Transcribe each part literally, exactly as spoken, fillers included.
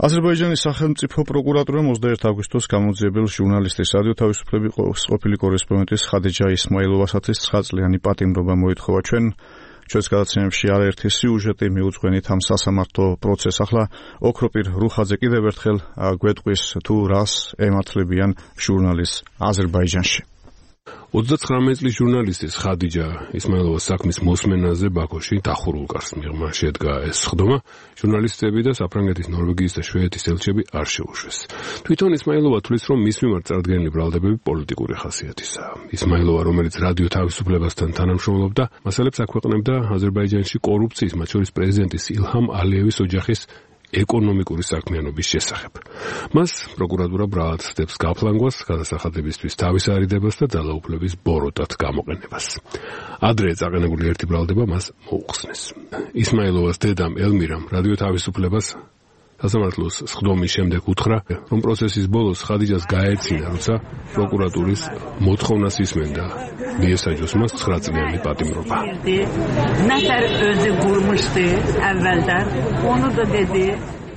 აზერბაიჯანის სახელმწიფო პროკურატურამ ოცდაერთი აგვისტოს გამოძიებელ ჟურნალისტის რადიო თავისუფლების ყოფილი კორესპონდენტის ხადიჯა ისმაილოვასათვის ცხრა წლიანი პატიმრობა მოითხოვა. ჩვენ ჩვენს გადაცემებში არაერთი სიუჟეტი მიუძღვენით ამ სასამართლო პროცესს. ახლა ოქროპირ რუხაძე კიდევ ერთხელ გვეტყვის თუ რას ემართლებიან ჟურნალისტს აზერბაიჯანში. ოცდაცხრამეტი წლის ჟურნალისტის ხადიჯა ისმაილოვას საქმის მოსმენაზე ბაქოში დახურულ კარს მიღმა შედგა ეს სხდომა. ჟურნალისტები და საფრანგეთის, ნორვეგიის და შვედეთის ელჩები არ შეუშვეს. თვითონ ისმაილოვა თვლის, რომ მის მიმართ წარდგენილი ბრალდებები პოლიტიკური ხასიათისაა. ისმაილოვა, რომელიც რადიო თავისუფლებასთან თანამშრომლობდა, მასალებს აქვეყნებდა აზერბაიჯანში კორუფციის, მათ შორის პრეზიდენტის ილჰამ ალიევის ოჯახის ეკონომიკური საქმიანობის შესახებ. მას პროკურატურა ბრალად ხდებს გაფლანგვას, გადასახადებისთვის თავის არიდებას და ძალაუფლების ბოროტად გამოყენებას. ადრე წაყენებული ერთი ბრალდება მას მოუხსნეს. ისმაილოვას დედამ ელმირამ რადიო თავისუფლებას სასამართლოს სხდომის შემდეგ უთხრა, რომ პროცესის ბოლოს ხადიჯას გაეცინა, როცა პროკურატურის მოთხოვნას ისმენდა. მიესაჯოს მას ცხრა წლიანი პატიმრობა.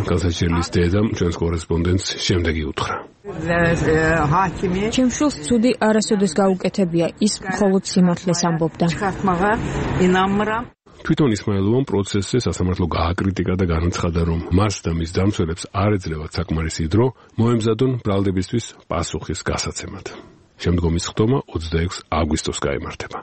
განსაჩერლის დედამ ჩვენს კორესპონდენტს შემდეგი უთხრა. ჩემ შვილს ცუდი არასოდეს გაუკეთებია, ის მხოლოდ სიმართლეს ამბობდა. თვითონ ისმაილოვამ პროცესზე სასამართლო გააკრიტიკა და განაცხადა, რომ მას და მის დამცველებს არ ეძლევათ საკმარისი დრო მოემზადონ ბრალდებისთვის პასუხის გასაცემად. შემდგომი სხდომა ოცდაექვსი აგვისტოს გაიმართება.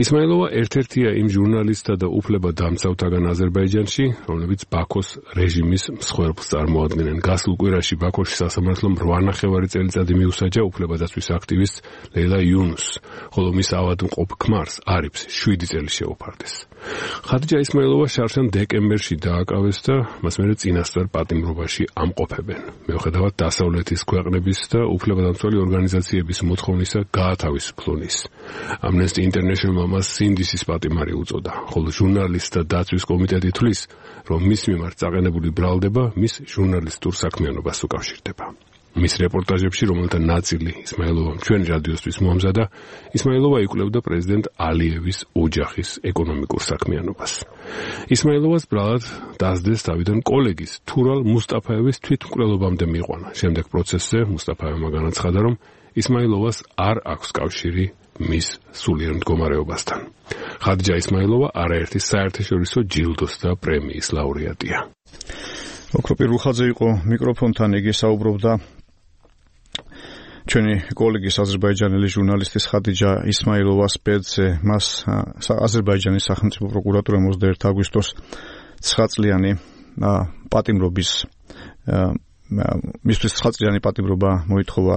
ისმაილოვა ერთ-ერთია იმ ჟურნალისტთა და უფლებადამცავთაგან აზერბაიჯანში, რომლებიც ბაქოს რეჟიმის მსხვერპლს წარმოადგენენ. გასულ კვირაში ბაქოში სასამართლომ რვა ნახევარი წელიწადი მიუსაჯა უფლებადაცვის აქტივისტს ლეილა იუნუსს, ხოლო მის ავადმყოფ ქმარს არიფს შვიდი წელი შეუფარდეს. ხადიჯა ისმაილოვა შარშან დეკემბერში დააკავეს და მას მერე წინასწარ პატიმრობაში ამყოფებენ. მიუხედავად დასავლეთის ქვეყნების და უფლებადამცველი ორგანიზაციების მოთხოვნისა გაათავისუფლონის. Amnesty International მას სინდისის პატიმარი უწოდა, ხოლო ჟურნალისტთა დაცვის კომიტეტი თვლის, რომ მის მიმართ წაყენებული ბრალდება მის ჟურნალისტურ საქმიანობას უკავშირდება. მის რეპორტაჟებში, რომელთა ნაწილი ისმაილოვამ ჩვენ რადიოსთვის მოამზადა, ისმაილოვა იკვლევდა პრეზიდენტ ალიევის ოჯახის ეკონომიკურ საქმიანობას. ისმაილოვას ბრალად დასდეს თავიდან კოლეგის თურალ მუსტაფაევის თვითმკვლელობამდე მიიყვანა. შემდეგ პროცესზე მუსტაფაევმა განაცხადა, რომ ისმაილოვას არ აქვს კავშირი მის სულიერ მდგომარეობასთან. ხადიჯა ისმაილოვა არაერთი საერთაშორისო ჯილდოს და პრემიის ლაურეატია. ოქროპირ რუხაძე იყო მიკროფონთან, იგი საუბრობდა ჩვენი კოლეგის აზერბაიჯანელი ჟურნალისტის ხადიჯა ისმაილოვას ბედზე. მას აზერბაიჯანის სახელმწიფო პროკურატურამ ოცდაერთი აგვისტოს ცხრა წლიანი პატიმრობის მისთვის ცხრა წლიანი პატიმრობა მოითხოვა.